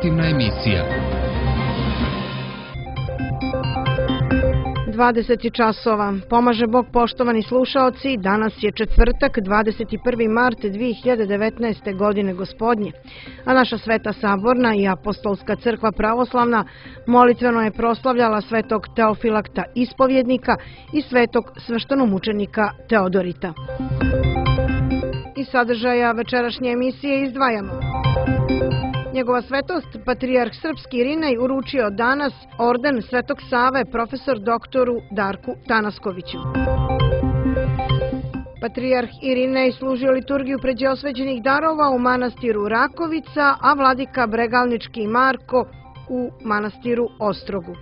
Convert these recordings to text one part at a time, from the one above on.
Informativna emisija. 20 časova. Pomaže Bog, poštovani slušaoci, danas je četvrtak, 21. mart 2019. godine gospodnje, a naša Sveta Saborna i Apostolska crkva pravoslavna molitveno je proslavljala svetog Teofilakta ispovjednika i svetog sveštenomučenika Teodorita. Iz sadržaja večerašnje emisije izdvajamo: Njegova svetost, patrijarh srpski Irinej, uručio danas orden Svetog Save profesor doktoru Darku Tanaskoviću. Patrijarh Irinej služio liturgiju pređeosvećenih darova u manastiru Rakovica, a vladika Bregalnički Marko u manastiru Ostrogu.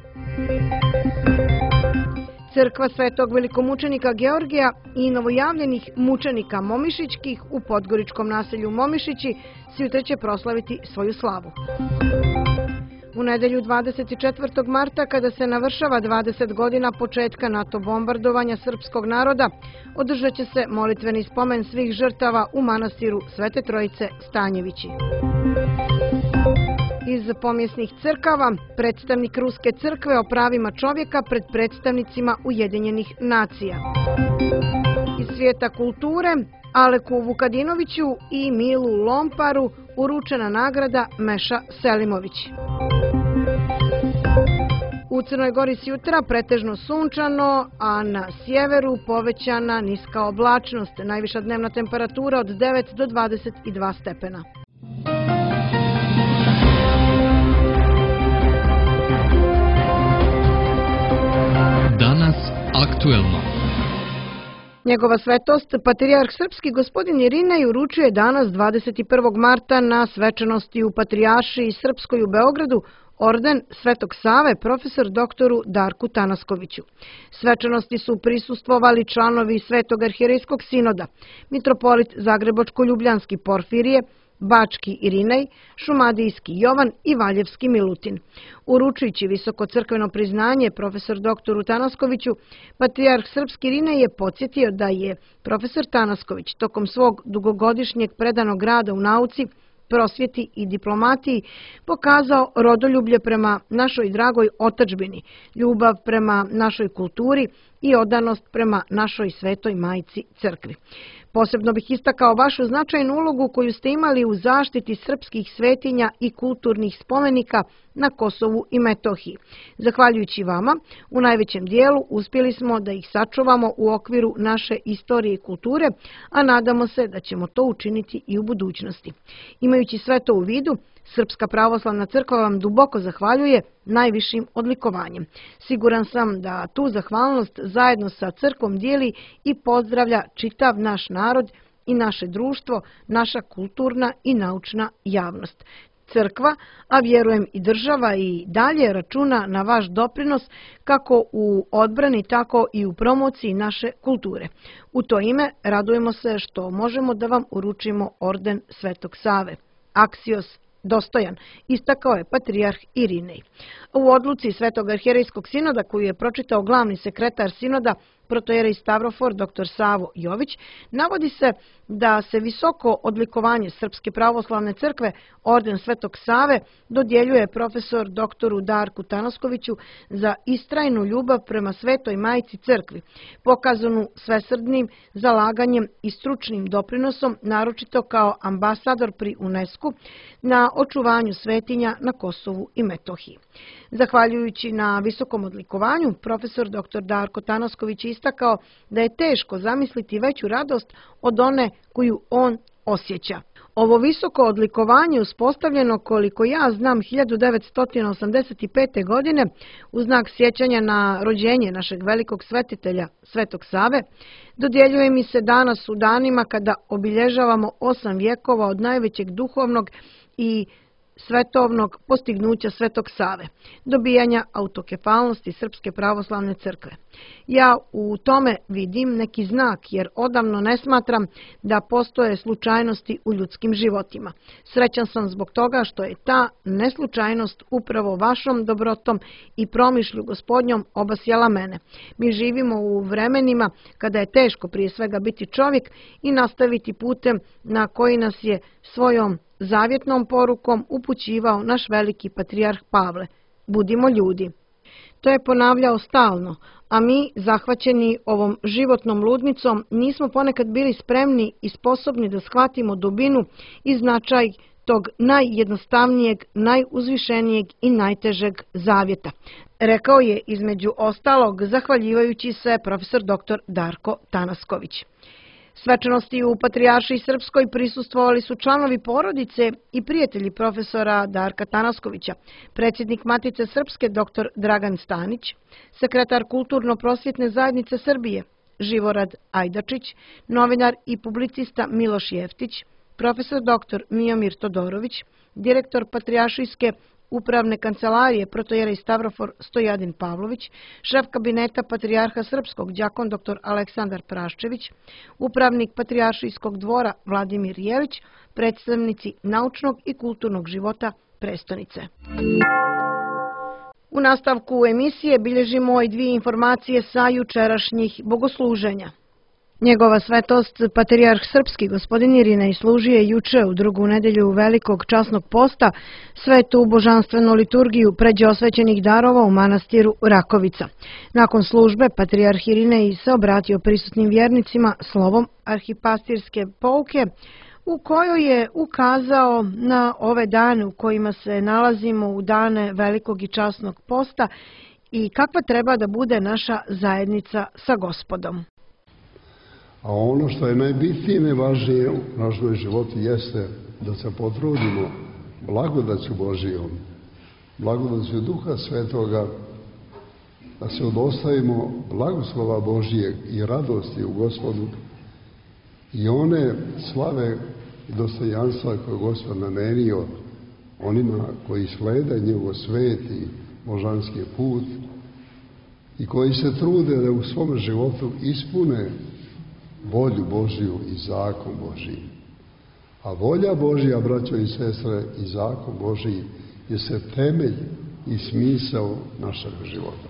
Crkva svetog velikomučenika Georgija i novojavljenih mučenika Momišićkih u podgoričkom naselju Momišići sutra će proslaviti svoju slavu. U nedelju 24. marta, kada se navršava 20 godina početka NATO bombardovanja srpskog naroda, održat će se molitveni spomen svih žrtava u manastiru Svete Trojice Stanjevići. Iz pomjesnih crkava, predstavnik Ruske crkve o pravima čovjeka pred predstavnicima Ujedinjenih nacija. Iz svijeta kulture, Aleku Vukadinoviću i Milu Lomparu uručena nagrada Meša Selimović. U Crnoj Gori sjutra pretežno sunčano, a na sjeveru povećana niska oblačnost, najviša dnevna temperatura od 9 do 22 stepena. Danas aktuelno. Njegova svetost, patrijarh srpski gospodin Irinej, uručuje danas 21. marta na svečanosti u Patrijaršiji Srpskoj u Beogradu orden Svetog Save profesor doktoru Darku Tanaskoviću. Svečanosti su prisustvovali članovi Svetog arhijerejskog sinoda, mitropolit Zagrebačko-Ljubljanski Porfirije, Bački Irinej, Šumadijski Jovan i Valjevski Milutin. Uručujući visoko crkveno priznanje profesor doktoru Tanaskoviću, patrijarh srpski Irinej je podsjetio da je profesor Tanasković tokom svog dugogodišnjeg predanog rada u nauci, prosvjeti i diplomatiji pokazao rodoljublje prema našoj dragoj otadžbini, ljubav prema našoj kulturi i odanost prema našoj svetoj majci crkvi. Posebno bih istakao vašu značajnu ulogu koju ste imali u zaštiti srpskih svetinja i kulturnih spomenika na Kosovu i Metohiji. Zahvaljujući vama, u najvećem dijelu uspjeli smo da ih sačuvamo u okviru naše istorije i kulture, a nadamo se da ćemo to učiniti i u budućnosti. Imajući sve to u vidu, Srpska pravoslavna crkva vam duboko zahvaljuje najvišim odlikovanjem. Siguran sam da tu zahvalnost zajedno sa crkvom dijeli i pozdravlja čitav naš narod i naše društvo, naša kulturna i naučna javnost. Crkva, a vjerujem i država, i dalje računa na vaš doprinos kako u odbrani, tako i u promociji naše kulture. U to ime radujemo se što možemo da vam uručimo orden Svetog Save. Aksios dostojan, istakao je patrijarh Irinej. U odluci Svetog arhijerejskog sinoda, koju je pročitao glavni sekretar sinoda, protojerej Stavrofor dr. Savo Jović, navodi se da se visoko odlikovanje Srpske pravoslavne crkve, orden Svetog Save, dodjeljuje profesor doktoru Darku Tanaskoviću za istrajnu ljubav prema svetoj majci crkvi, pokazanu svesrdnim zalaganjem i stručnim doprinosom, naročito kao ambasador pri UNESCO na očuvanju svetinja na Kosovu i Metohiji. Zahvaljujući na visokom odlikovanju, profesor dr. Darko Tanasković istakao da je teško zamisliti veću radost od one koju on osjeća. Ovo visoko odlikovanje, uspostavljeno, koliko ja znam, 1985. godine u znak sjećanja na rođenje našeg velikog svetitelja Svetog Save, dodjeljuje mi se danas u danima kada obilježavamo 8 vjekova od najvećeg duhovnog i svetovnog postignuća Svetog Save, dobijanja autokefalnosti Srpske pravoslavne crkve. Ja u tome vidim neki znak, jer odavno ne smatram da postoje slučajnosti u ljudskim životima. Srećan sam zbog toga što je ta neslučajnost upravo vašom dobrotom i promišlju Gospodnjom obasjala mene. Mi živimo u vremenima kada je teško prije svega biti čovjek i nastaviti putem na koji nas je svojom zavjetnom porukom upućivao naš veliki patrijarh Pavle: budimo ljudi. To je ponavljao stalno, a mi, zahvaćeni ovom životnom ludnicom, nismo ponekad bili spremni i sposobni da shvatimo dubinu i značaj tog najjednostavnijeg, najuzvišenijeg i najtežeg zavjeta, rekao je između ostalog zahvaljivajući se profesor dr. Darko Tanasković. Svečanosti u Patrijaršiji Srpskoj prisustvovali su članovi porodice i prijatelji profesora Darka Tanaskovića, predsjednik Matice Srpske dr. Dragan Stanić, sekretar Kulturno-prosvjetne zajednice Srbije Živorad Ajdačić, novinar i publicista Miloš Jeftić, profesor dr. Mijomir Todorović, direktor Patrijaršijske upravne kancelarije protojerej Stavrofor Stojadin Pavlović, šef kabineta Patrijarha Srpskog đakon dr. Aleksandar Praščević, upravnik Patrijaršijskog dvora Vladimir Jelić, predstavnici naučnog i kulturnog života prestonice. U nastavku emisije bilježimo i dvije informacije sa jučerašnjih bogosluženja. Njegova svetost, patrijarh srpski gospodin Irinej, služio je juče u drugu nedelju Velikog časnog posta svetu božanstvenu liturgiju pređe osvećenih darova u manastiru Rakovica. Nakon službe, patrijarh Irinej se obratio prisutnim vjernicima slovom arhipastirske pouke, u kojoj je ukazao na ove dane u kojima se nalazimo, u dane Velikog i časnog posta, i kakva treba da bude naša zajednica sa Gospodom. A ono što je najbitnije i najvažnije u našem životu jeste da se potrudimo blagodaću Božijom, blagodaću Duha Svetoga, da se odostavimo blagoslova Božijeg i radosti u Gospodu i one slave i dostojanstva koje je Gospod namenio onima koji slede njegov sveti božanski put i koji se trude da u svom životu ispune volju Božiju i zakon Božiji. A volja Božija, braćo i sestre, i zakon Božiji je se temelj i smisao našeg života.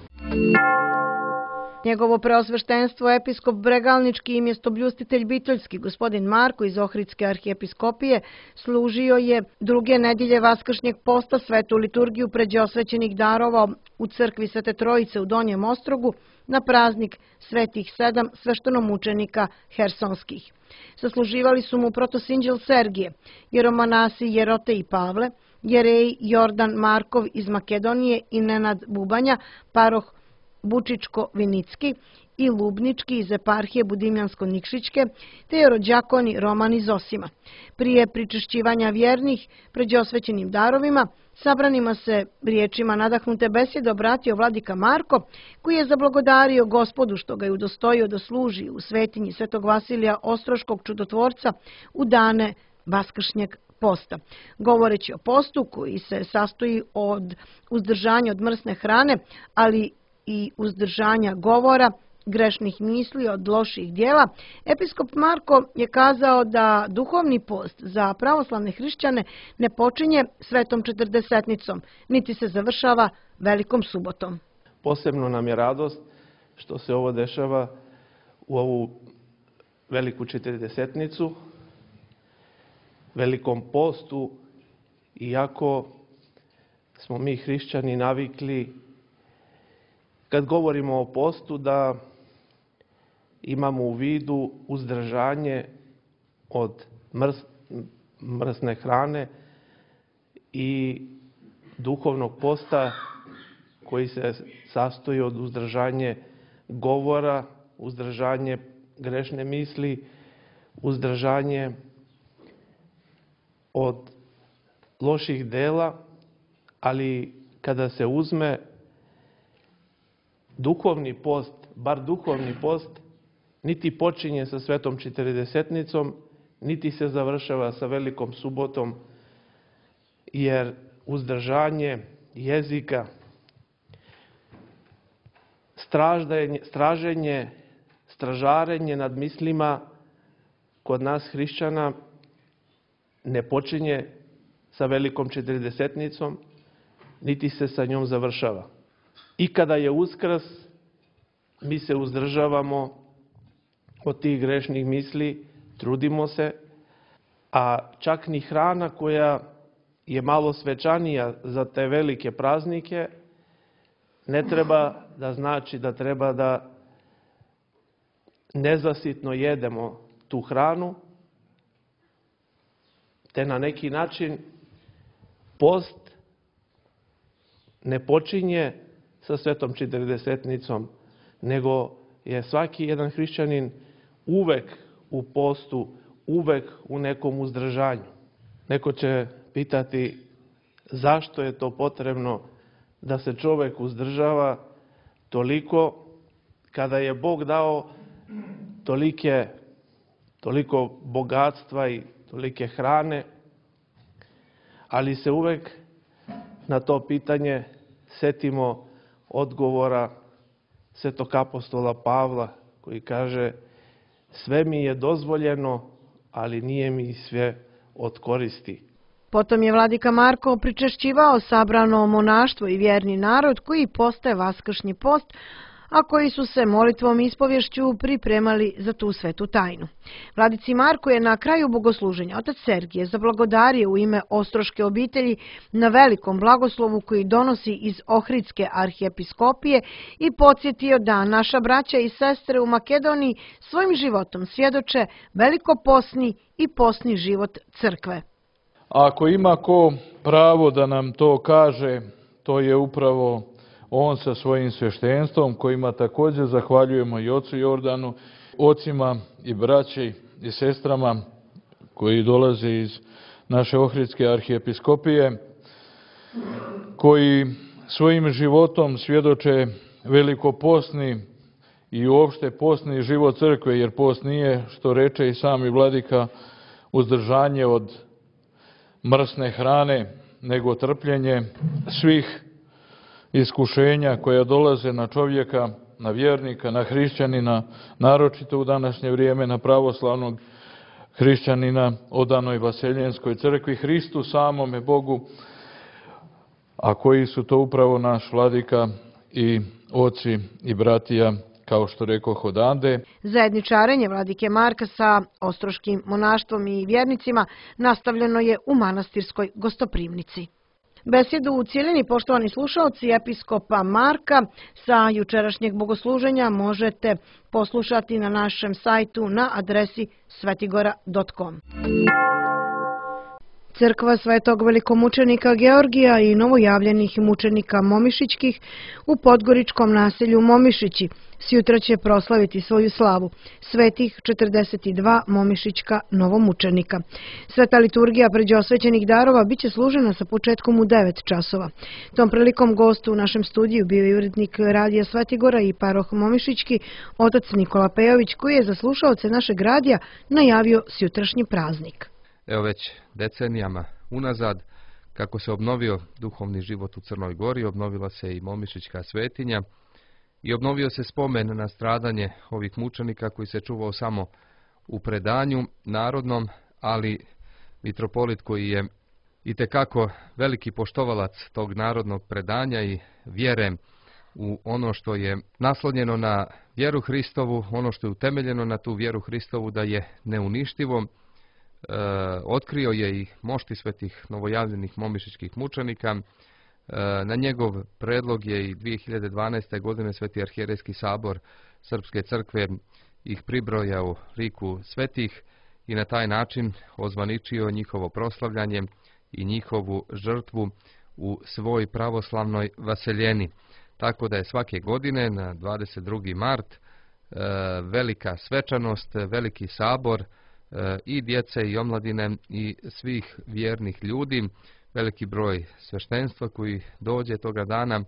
Njegovo preosveštenstvo episkop Bregalnički i mjestobljustitelj Bitoljski gospodin Marko iz Ohridske arhijepiskopije služio je druge nedelje Vaskršnjeg posta svetu liturgiju pređe osvećenih darova u crkvi Svete Trojice u Donjem Ostrogu na praznik Svetih 7 sveštenomučenika Hersonskih. Sasluživali su mu protosinđel Sergije, jeromonasi Jerote i Pavle, jerej Jordan Markov iz Makedonije i Nenad Bubanja, paroh Bučičko-Vinicki i Lubnički iz eparhije Budimljansko-Nikšićke, te jerođakoni Roman iz Osima. Prije pričešćivanja vjernih pređe osvećenim darovima, sabranima se riječima nadahnute besjede obratio vladika Marko, koji je zablagodario Gospodu što ga je udostojio da služi u svetinji Svetog Vasilija Ostroškog čudotvorca u dane Vaskršnjeg posta. Govoreći o postu koji se sastoji od uzdržanja od mrsne hrane, ali i uzdržanja govora, grešnih misli, od loših djela, episkop Marko je kazao da duhovni post za pravoslavne hrišćane ne počinje svetom četrdesetnicom, niti se završava velikom subotom. Posebno nam je radost što se ovo dešava u ovu veliku četrdesetnicu, velikom postu, iako smo mi hrišćani navikli kad govorimo o postu da imamo u vidu uzdržanje od mrsne hrane i duhovnog posta koji se sastoji od uzdržanje govora, uzdržanje grešne misli, uzdržanje od loših dela, ali kada se uzme duhovni post, bar duhovni post, niti počinje sa svetom četrdesetnicom, niti se završava sa velikom subotom, jer uzdržanje jezika, stražarenje nad mislima kod nas hrišćana ne počinje sa velikom četrdesetnicom, niti se sa njom završava. I kada je Uskrs, mi se uzdržavamo od tih grešnih misli, trudimo se a čak ni hrana koja je malo svečanija za te velike praznike ne treba da znači da treba da nezasitno jedemo tu hranu, te na neki način post ne počinje sa Svetom Četrdesetnicom, nego je svaki jedan hrišćanin uvek u postu, uvek u nekom uzdržanju. Neko će pitati zašto je to potrebno da se čovek uzdržava toliko kada je Bog dao toliko bogatstva i tolike hrane, ali se uvek na to pitanje setimo odgovora svetog apostola Pavla koji kaže: sve mi je dozvoljeno, ali nije mi sve od koristi. Potom je vladika Marko pričešćivao sabrano monaštvo i vjerni narod koji postaje vaskršnji post, a koji su se molitvom i ispovješću pripremali za tu svetu tajnu. Vladici Marko je na kraju bogosluženja otac Sergije zablagodario u ime Ostroške obitelji na velikom blagoslovu koji donosi iz Ohridske arhijepiskopije i podsjetio da naša braća i sestre u Makedoniji svojim životom svjedoče velikoposni i posni život crkve. Ako ima ko pravo da nam to kaže, to je upravo on sa svojim sveštenstvom, kojima također zahvaljujemo i ocu Jordanu, ocima i braći i sestrama koji dolaze iz naše Ohridske arhijepiskopije, koji svojim životom svjedoče velikopostni i uopšte postni život crkve, jer post nije, što reče i sami vladika, uzdržanje od mrsne hrane, nego trpljenje svih iskušenja koja dolaze na čovjeka, na vjernika, na hrišćanina, naročito u današnje vrijeme na pravoslavnog hrišćanina odanoj Vaseljenskoj crkvi, Hristu samome Bogu, a koji su to upravo naš vladika i oci i bratija, kao što rekoh, odande. Zajedničarenje vladike Marka sa ostroškim monaštvom i vjernicima nastavljeno je u manastirskoj gostoprimnici. Besedu u cijelini, poštovani slušalci, episkopa Marka sa jučerašnjeg bogosluženja možete poslušati na našem sajtu na adresi svetigora.com. Crkva Svetog velikomučenika Georgija i novojavljenih mučenika Momišićkih u podgoričkom naselju Momišići sjutra će proslaviti svoju slavu, svetih 42 momišićka novomučenika. Sveta liturgija pređeosvećenih darova biće služena sa početkom u 9 časova. Tom prilikom gostu u našem studiju bio je urednik radija Svetigora i paroh Momišićki, otac Nikola Pejović, koji je za slušaoce našeg radija najavio sjutrašnji praznik. Evo već decenijama unazad, kako se obnovio duhovni život u Crnoj Gori, obnovila se i Momišićka svetinja i obnovio se spomen na stradanje ovih mučenika koji se čuvao samo u predanju narodnom, ali mitropolit koji je itekako veliki poštovalac tog narodnog predanja i vjere u ono što je naslonjeno na vjeru Hristovu, ono što je utemeljeno na tu vjeru Hristovu da je neuništivo, otkrio je i mošti svetih novojavljenih momišićkih mučenika. Na njegov predlog je i 2012. godine Sveti arhijerejski sabor Srpske crkve ih pribrojao liku svetih i na taj način ozvaničio njihovo proslavljanje i njihovu žrtvu u svoj pravoslavnoj vaseljeni. Tako da je svake godine na 22. mart velika svečanost, veliki sabor i djece i omladine i svih vjernih ljudi, veliki broj sveštenstva koji dođe toga dana,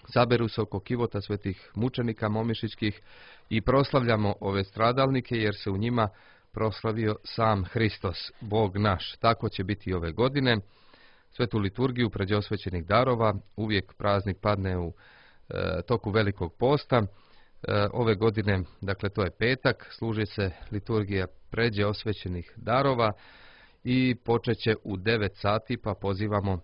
saberu se oko kivota svetih mučenika momišićkih i proslavljamo ove stradalnike jer se u njima proslavio sam Hristos, Bog naš. Tako će biti ove godine. Svetu liturgiju pređeosvećenih darova, uvijek praznik padne u toku Velikog posta. Ove godine, dakle to je petak, služi se liturgija pređe osvećenih darova i počeće u 9 sati, pa pozivamo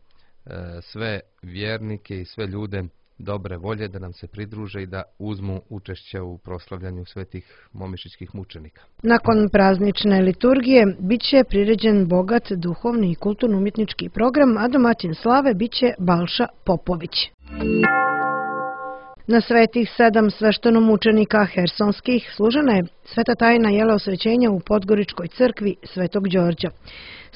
sve vjernike i sve ljude dobre volje da nam se pridruže i da uzmu učešće u proslavljanju svetih momišićkih mučenika. Nakon praznične liturgije biće priređen bogat duhovni i kulturno-umjetnički program, a domaćin slave biće Balša Popović. Na svetih 7 sveštenomučenika hersonskih služena je sveta tajna jeleosvećenja u Podgoričkoj crkvi Svetog Đorđa.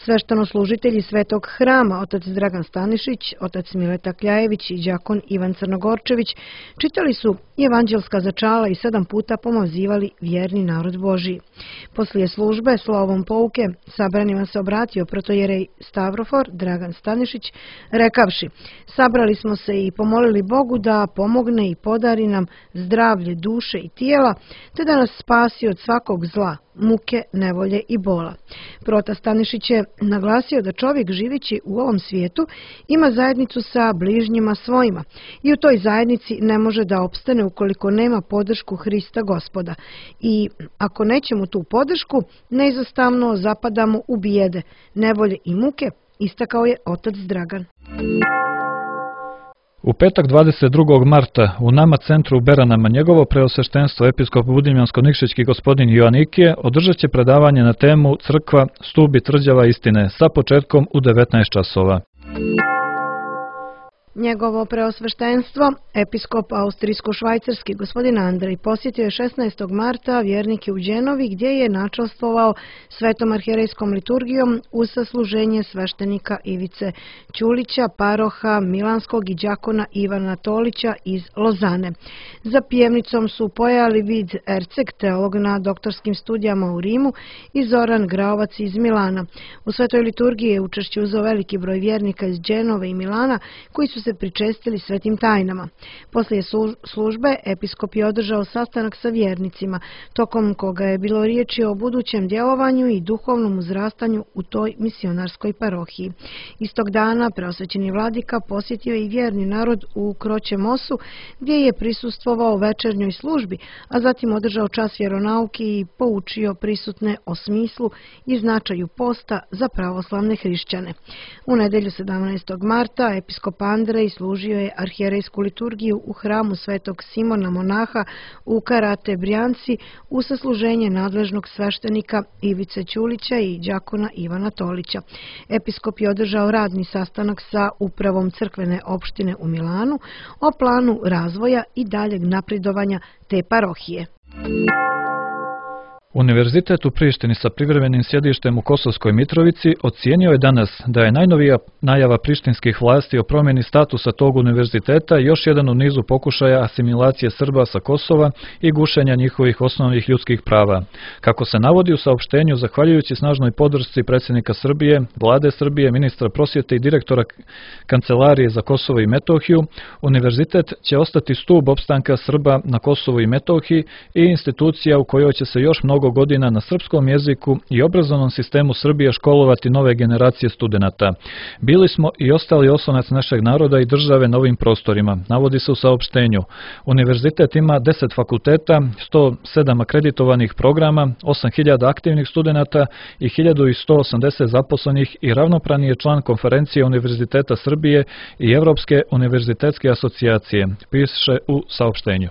Sveštenoslужitelji Svetog hrama, otac Dragan Stanišić, otac Mileta Kljajević i đakon Ivan Crnogorčević, čitali su evanđelska začala i 7 puta pomazivali vjerni narod Božiji. Poslije službe slovom pouke sabranima se obratio protojerej Stavrofor Dragan Stanišić, rekavši: sabrali smo se i pomolili Bogu da pomogne i podari nam zdravlje duše i tijela, te da nas spasi od svakog zla, muke, nevolje i bola. Prota Stanišić je naglasio da čovjek živeći u ovom svijetu ima zajednicu sa bližnjima svojima i u toj zajednici ne može da opstane ukoliko nema podršku Hrista Gospoda. I ako nećemo tu podršku, neizostavno zapadamo u bijede, nevolje i muke, istakao je otac Dragan. U petak 22. marta u nama centru u Beranama njegovo preosveštenstvo episkop Budimljansko-Nikšićki gospodin Joanikije održat će predavanje na temu Crkva, stup i tvrđava istine sa početkom u 19 časova. Njegovo preosveštenstvo, episkop austrijsko-švajcarski gospodin Andrej, posjetio je 16. marta vjernike u Đenovi gdje je načastvovao svetom arhijerejskom liturgijom uz sasluženje sveštenika Ivice Ćulića, paroha Milanskog i đakona Ivana Tolića iz Lozane. Za pjevnicom su pojali vid Erceg, teolog na doktorskim studijama u Rimu, i Zoran Graovac iz Milana. U svetoj liturgiji je učešće uzeo veliki broj vjernika iz Đenove i Milana koji su se pričestili svetim tajnama. Poslije službe episkop je održao sastanak sa vjernicima, tokom koga je bilo riječi o budućem djelovanju i duhovnom uzrastanju u toj misionarskoj parohiji. Istog dana preosvećeni vladika posjetio je i vjerni narod u Kroće Mosu, gdje je prisustvovao večernjoj službi, a zatim održao čas vjeronauke i poučio prisutne o smislu i značaju posta za pravoslavne hrišćane. U nedjelju 17. marta episkop Andrej služio je arhijerejsku liturgiju u hramu Svetog Simona Monaha u Karate Brjanci u sasluženje nadležnog sveštenika Ivice Ćulića i đakona Ivana Tolića. Episkop je održao radni sastanak sa upravom crkvene opštine u Milanu o planu razvoja i daljeg napredovanja te parohije. Univerzitet u Prištini sa privremenim sjedištem u Kosovskoj Mitrovici ocijenio je danas da je najnovija najava prištinskih vlasti o promjeni statusa tog univerziteta još jedan u nizu pokušaja asimilacije Srba sa Kosova i gušenja njihovih osnovnih ljudskih prava. Kako se navodi u saopštenju, zahvaljujući snažnoj podršci predsjednika Srbije, vlade Srbije, ministra prosvjete i direktora Kancelarije za Kosovo i Metohiju, univerzitet će ostati stub opstanka Srba na Kosovu i Metohiji i institucija u kojoj će se još mnogo godina na srpskom jeziku i obrazovnom sistemu Srbije školovati nove generacije studenata. Bili smo i ostali oslonac našeg naroda i države na ovim prostorima, navodi se u saopštenju. Univerzitet ima 10 fakulteta, 107 akreditovanih programa, 8000 aktivnih studenata i 1180 zaposlenih i ravnopravni je član konferencije Univerziteta Srbije i Evropske univerzitetske asocijacije, piše u saopštenju.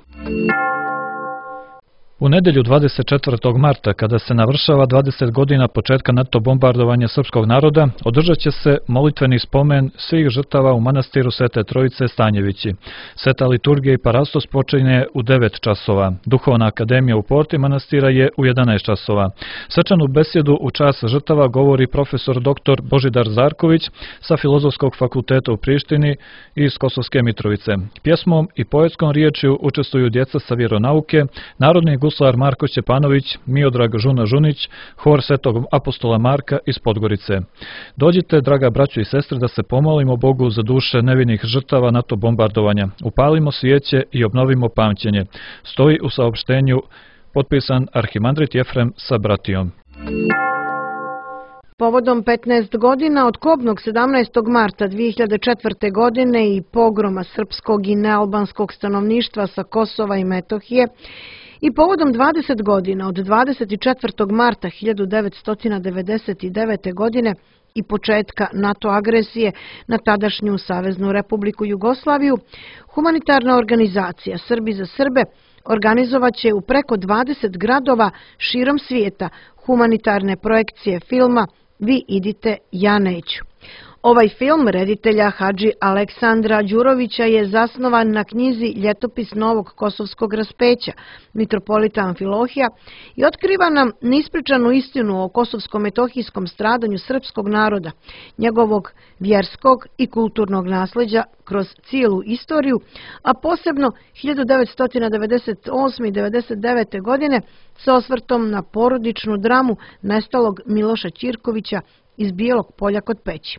U nedjelju 24. marta, kada se navršava 20 godina početka NATO bombardovanja srpskog naroda, održat će se molitveni spomen svih žrtava u manastiru Svete Trojice Stanjevići. Sveta liturgija i parastos počinje u 9 časova. Duhovna akademija u porti manastira je u 11 časova. Svečanu besjedu u čast žrtava govori profesor dr. Božidar Zarković sa Filozofskog fakulteta u Prištini iz Kosovske Mitrovice. Pjesmom i poetskom riječju učestvuju djeca sa vjeronauke, narodni guslar Marko Šćepanović, Miodrag Žuna Žunić, hor Svetog apostola Marka iz Podgorice. Dođite, draga braćo i sestre, da se pomolimo Bogu za duše nevinih žrtava NATO bombardovanja. Upalimo svijeće i obnovimo pamćenje. Stoji u saopštenju potpisan arhimandrit Jefrem sa bratijom. Povodom 15 godina od kobnog 17. marta 2004. godine i pogroma srpskog i nealbanskog stanovništva sa Kosova i Metohije i povodom 20 godina od 24. marta 1999. godine i početka NATO agresije na tadašnju Saveznu Republiku Jugoslaviju, humanitarna organizacija Srbi za Srbe organizovaće u preko 20 gradova širom svijeta humanitarne projekcije filma Vi idite, ja neću. Ovaj film reditelja Hadži Aleksandra Đurovića je zasnovan na knjizi Ljetopis novog kosovskog raspeća mitropolita Amfilohija i otkriva nam neispričanu istinu o kosovsko-metohijskom stradanju srpskog naroda, njegovog vjerskog i kulturnog nasljeđa kroz cijelu istoriju, a posebno 1998. i 1999. godine sa osvrtom na porodičnu dramu nestalog Miloša Ćirkovića iz Bijelog polja kod Peći.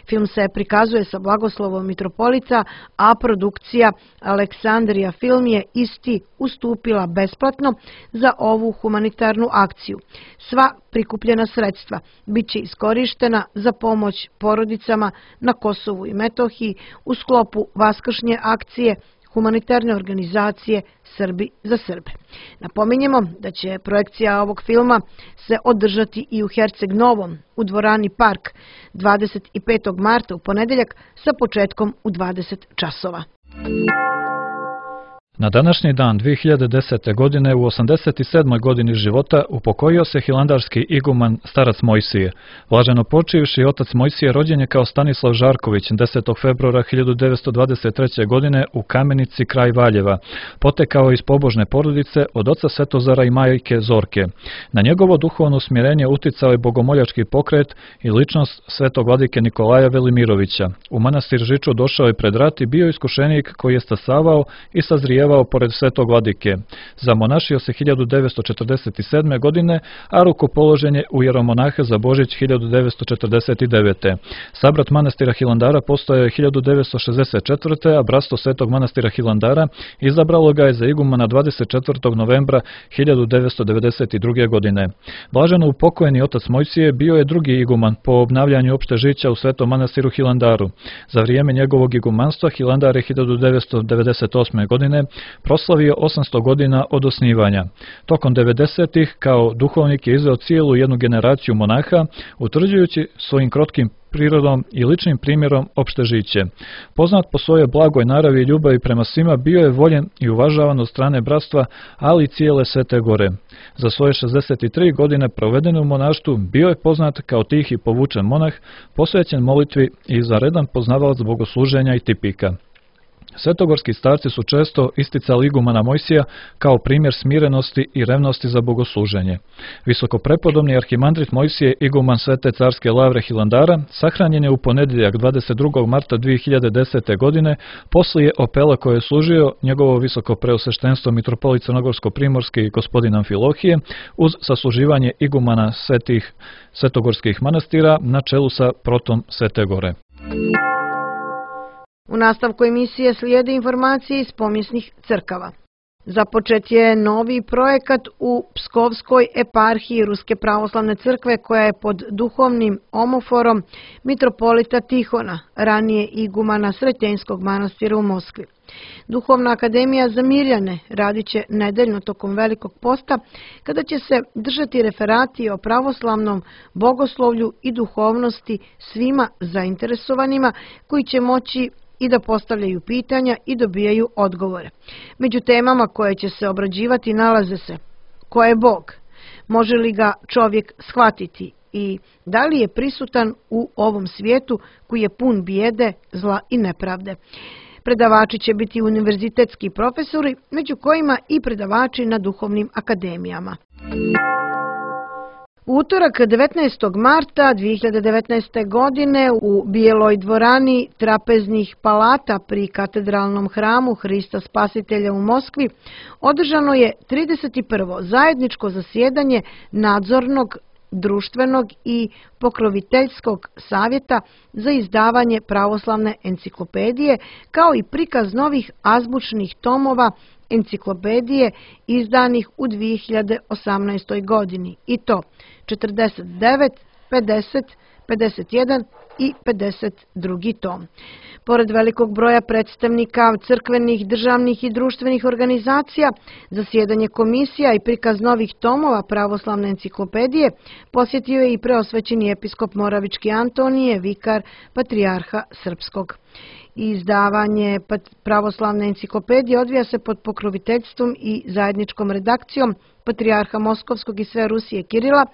Film se prikazuje sa blagoslovom mitropolita, a produkcija Aleksandrija Film je isti ustupila besplatno za ovu humanitarnu akciju. Sva prikupljena sredstva bit će iskorištena za pomoć porodicama na Kosovu i Metohiji u sklopu vaskršnje akcije humanitarne organizacije Srbi za Srbe. Napominjemo da će projekcija ovog filma se održati i u Herceg Novom, u dvorani Park, 25. marta u ponedeljak sa početkom u 20 časova. Na današnji dan 2010. godine u 87. godini života upokojio se hilandarski iguman starac Mojsije. Blaženo počivši otac Mojsije rođen je kao Stanislav Žarković 10. februara 1923. godine u Kamenici kraj Valjeva. Potekao iz pobožne porodice od oca Svetozara i majke Zorke. Na njegovo duhovno usmjerenje uticao je bogomoljački pokret i ličnost svetog vladike Nikolaja Velimirovića. U manastir Žiču došao je pred rat i bio iskušenik koji je stasavao i sazrijevao pored svetog vladike. Zamonašio se 1947. godine, a rukopoložen je u jeromonahe za Božić 1949. Sabrat manastira Hilandara postojao je 1964. a bratstvo svetog manastira Hilandara izabralo ga je za igumana 24. novembra 1992. godine. Blaženo upokojeni otac Mojsije bio je drugi iguman po obnavljanju opšte žića u svetom manastiru Hilandaru. Za vrijeme njegovog igumanstva Hilandar je 1998. godine proslavio 800 godina od osnivanja. Tokom 90-ih kao duhovnik je izveo cijelu jednu generaciju monaha, utvrđujući svojim krotkim prirodom i ličnim primjerom opšte žiće. Poznat po svojoj blagoj naravi i ljubavi prema svima, bio je voljen i uvažavan od strane bratstva, ali i cijele Svete Gore. Za svoje 63 godine provedene u monaštvu bio je poznat kao tih i povučen monah, posvećen molitvi i izvanredan poznavalac bogosluženja i tipika. Svetogorski starci su često isticali igumana Mojsija kao primjer smirenosti i revnosti za bogosluženje. Visokoprepodobni arhimandrit Mojsije, iguman Svete carske lavre Hilandara, sahranjen je u ponedjeljak 22. marta 2010. godine poslije opela koje je služio njegovo visokopreosveštenstvo mitropolit Crnogorsko-primorski i gospodin Amfilohije uz sasluživanje igumana svetogorskih manastira na čelu sa protom Svete Gore. U nastavku emisije slijede informacije iz pomjesnih crkava. Započet je novi projekat u Pskovskoj eparhiji Ruske pravoslavne crkve koja je pod duhovnim omoforom mitropolita Tihona, ranije igumana Sretenjskog manastira u Moskvi. Duhovna akademija za Mirjane radit će nedeljno tokom Velikog posta, kada će se držati referati o pravoslavnom bogoslovlju i duhovnosti svima zainteresovanima koji će moći i da postavljaju pitanja i dobijaju odgovore. Među temama koje će se obrađivati nalaze se: ko je Bog, može li ga čovjek shvatiti i da li je prisutan u ovom svijetu koji je pun bijede, zla i nepravde. Predavači će biti univerzitetski profesori, među kojima i predavači na duhovnim akademijama. U utorak 19. marta 2019. godine u Bijeloj dvorani trapeznih palata pri katedralnom hramu Hrista Spasitelja u Moskvi održano je 31. zajedničko zasjedanje nadzornog, društvenog i pokroviteljskog savjeta za izdavanje pravoslavne enciklopedije, kao i prikaz novih azbučnih tomova enciklopedije izdanih u 2018. godini, i to 49, 50, 51 i 52. tom. Pored velikog broja predstavnika crkvenih, državnih i društvenih organizacija, zasjedanje komisija i prikaz novih tomova pravoslavne enciklopedije posjetio je i preosvećeni episkop Moravički Antonije, vikar Patrijarha Srpskog. Izdavanje pravoslavne enciklopedije odvija se pod pokroviteljstvom i zajedničkom redakcijom Patrijarha Moskovskog i sve Rusije Kirila,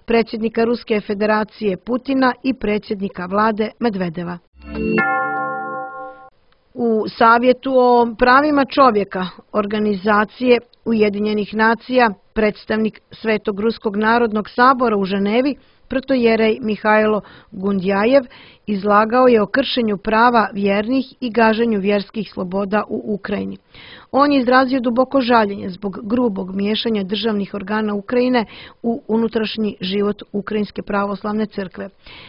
predsjednika Ruske federacije Putina i predsjednika vlade Medvedeva. U Savjetu o pravima čovjeka Organizacije Ujedinjenih nacija predstavnik Svetog Ruskog narodnog sabora u Ženevi, protojerej Mihajlo Gundjajev, izlagao je o kršenju prava vjernih i gaženju vjerskih sloboda u Ukrajini. On je izrazio duboko žaljenje zbog grubog miješanja državnih organa Ukrajine u unutrašnji život Ukrajinske pravoslavne crkve.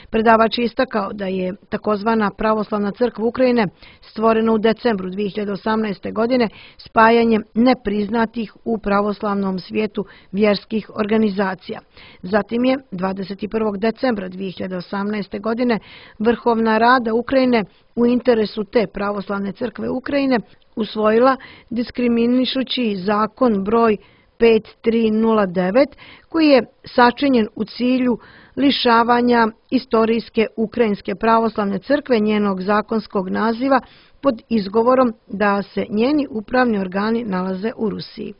Predavač je istakao da je takozvana pravoslavna crkva Ukrajine stvorena u decembru 2018. godine spajanjem nepriznatih u pravoslavnom svijetu vjerskih organizacija. Zatim je 21. decembra 2018. godine Vrhovna Rada Ukrajine u interesu te pravoslavne crkve Ukrajine usvojila diskriminišući zakon broj 5309 koji je sačinjen u cilju lišavanja istorijske Ukrajinske pravoslavne crkve njenog zakonskog naziva pod izgovorom da se njeni upravni organi nalaze u Rusiji.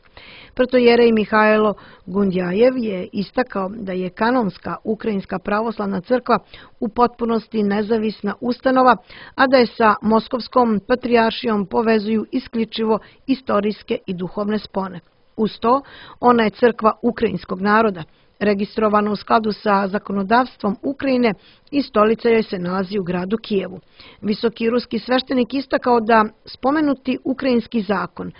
Protojerej Mihajlo Gundjajev je istakao da je kanonska Ukrajinska pravoslavna crkva u potpunosti nezavisna ustanova, a da je sa Moskovskom patrijaršijom povezuju isključivo istorijske i duhovne spone. Uz to, ona je crkva ukrajinskog naroda, registrovana u skladu sa zakonodavstvom Ukrajine i stolica joj se nalazi u gradu Kijevu. Visoki ruski sveštenik istakao da spomenuti ukrajinski zakon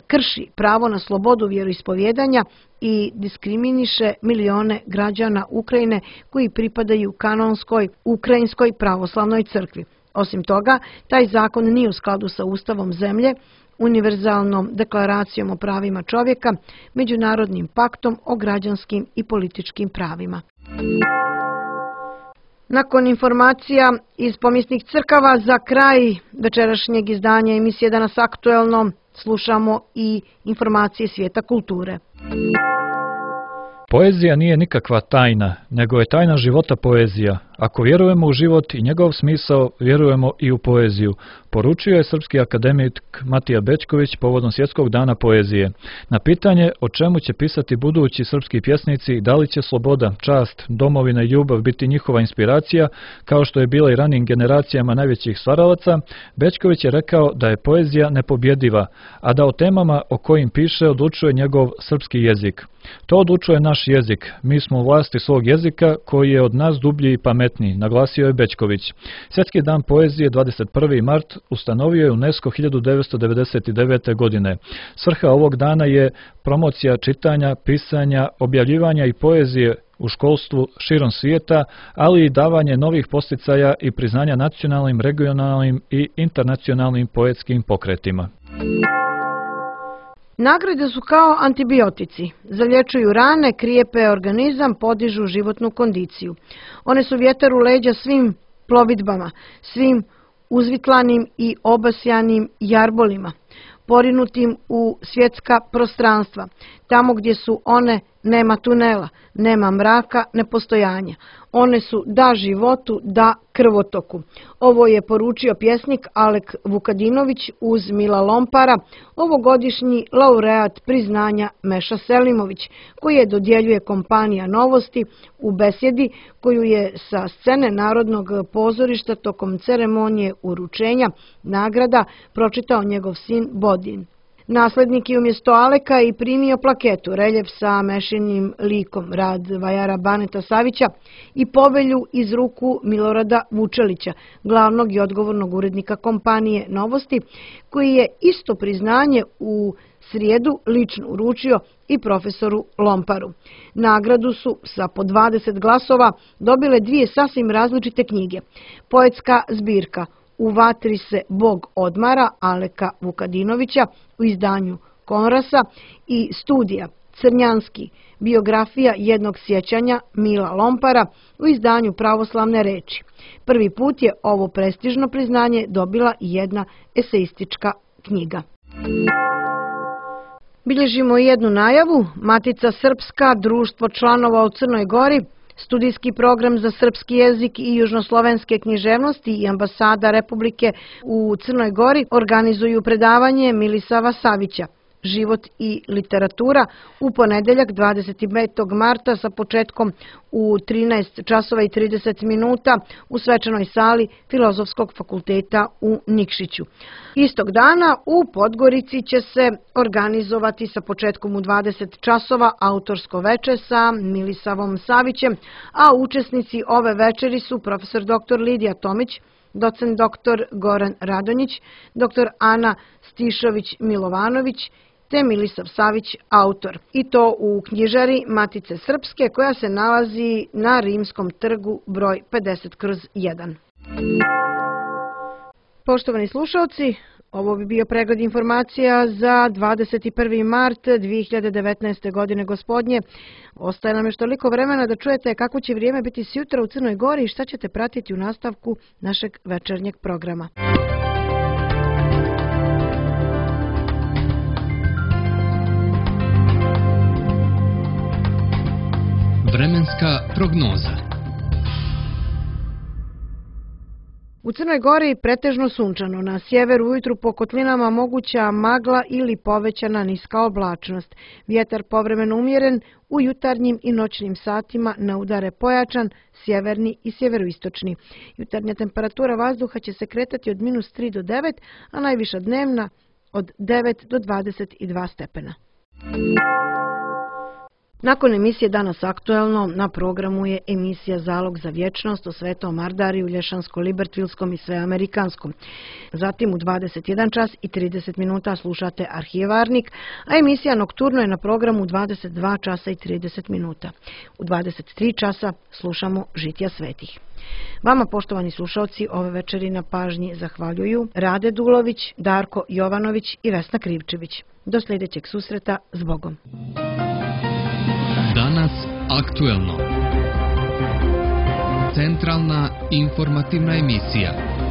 krši pravo na slobodu vjeroispovjedanja i diskriminiše milione građana Ukrajine koji pripadaju kanonskoj Ukrajinskoj pravoslavnoj crkvi. Osim toga, taj zakon nije u skladu sa Ustavom zemlje, Univerzalnom deklaracijom o pravima čovjeka, Međunarodnim paktom o građanskim i političkim pravima. Nakon informacija iz pomisnih crkava, za kraj večerašnjeg izdanja emisije Danas aktuelno slušamo i informacije svijeta kulture. Poezija nije nikakva tajna, nego je tajna života poezija. Ako vjerujemo u život i njegov smisao, vjerujemo i u poeziju, poručio je srpski akademik Matija Bećković povodom Svjetskog dana poezije. Na pitanje o čemu će pisati budući srpski pjesnici, da li će sloboda, čast, domovina i ljubav biti njihova inspiracija, kao što je bila i ranijim generacijama najvećih stvaralaca, Bećković je rekao da je poezija nepobjediva, a da o temama o kojim piše odlučuje njegov srpski jezik. To odlučuje naš jezik, mi smo u vlasti svog jezika koji je od nas dublji i pametniji, naglasio je Bećković. Svjetski dan poezije 21. mart ustanovio je UNESCO 1999. godine. Svrha ovog dana je promocija čitanja, pisanja, objavljivanja i poezije u školstvu širom svijeta, ali i davanje novih podsticaja i priznanja nacionalnim, regionalnim i internacionalnim poetskim pokretima. Nagrade su kao antibiotici. Zalječuju rane, krijepe organizam, podižu životnu kondiciju. One su vjetar u leđa svim plovidbama, svim uzvitlanim i obasjanim jarbolima, porinutim u svjetska prostranstva. Tamo gdje su one, nema tunela, nema mraka, nepostojanja. One su da životu, da krvotoku. Ovo je poručio pjesnik Alek Vukadinović uz Mila Lompara, ovogodišnji laureat priznanja Meša Selimović, koji je dodjeljuje kompanija Novosti u besjedi koju je sa scene Narodnog pozorišta tokom ceremonije uručenja nagrada pročitao njegov sin Bodin. Naslednik je umjesto Aleka i primio plaketu, reljef sa Mešinim likom, rad vajara Baneta Savića i povelju iz ruku Milorada Vučelića, glavnog i odgovornog urednika kompanije Novosti, koji je isto priznanje u srijedu lično uručio i profesoru Lomparu. Nagradu su sa po 20 glasova dobile dvije sasvim različite knjige. Poetska zbirka U vatri se Bog odmara Aleka Vukadinovića u izdanju Konrasa i studija Crnjanski, biografija jednog sjećanja Mila Lompara u izdanju Pravoslavne reči. Prvi put je ovo prestižno priznanje dobila i jedna eseistička knjiga. Bilježimo i jednu najavu. Matica Srpska, društvo članova u Crnoj Gori, studijski program za srpski jezik i južnoslovenske književnosti i ambasada Republike u Crnoj Gori organizuju predavanje Milisava Savića Život i literatura u ponedeljak 25. marta sa početkom u 13 časova i 30 minuta u svečanoj sali Filozofskog fakulteta u Nikšiću. Istog dana u Podgorici će se organizovati sa početkom u 20 časova autorsko veče sa Milisavom Savićem, a učesnici ove večeri su profesor dr. Lidija Tomić, docent dr. Goran Radonjić, dr. Ana Stišović-Milovanović, te Milisav Savić, autor. I to u knjižari Matice Srpske koja se nalazi na Rimskom trgu broj 50/1. Poštovani slušalci, ovo bi bio pregled informacija za 21. mart 2019. godine gospodnje. Ostaje nam još toliko vremena da čujete kako će vrijeme biti sjutra u Crnoj Gori i šta ćete pratiti u nastavku našeg večernjeg programa. Vremenska prognoza. U Crnoj Gori pretežno sunčano, na sjeveru ujutru po kotlinama moguća magla ili povećana niska oblačnost. Vjetar povremeno umjeren, u jutarnjim i noćnim satima na udare pojačan, sjeverni i sjeveroistočni. Jutarnja temperatura vazduha će se kretati od -3 do 9, a najviša dnevna od 9 do 22 stepena. Nakon emisije Danas aktuelno, na programu je emisija Zalog za vječnost o Svetom Ardariju, Lješansko-Libertvilskom i Sveamerikanskom. Zatim u 21 čas i 30 minuta slušate Arhivarnik, a emisija Nokturno je na programu u 22 časa i 30 minuta. U 23 časa slušamo Žitja svetih. Vama, poštovani slušalci, ove večeri na pažnji zahvaljuju Rade Dulović, Darko Jovanović i Vesna Krivčević. Do sljedećeg susreta, zbogom. Danas aktuelno. Centralna informativna emisija.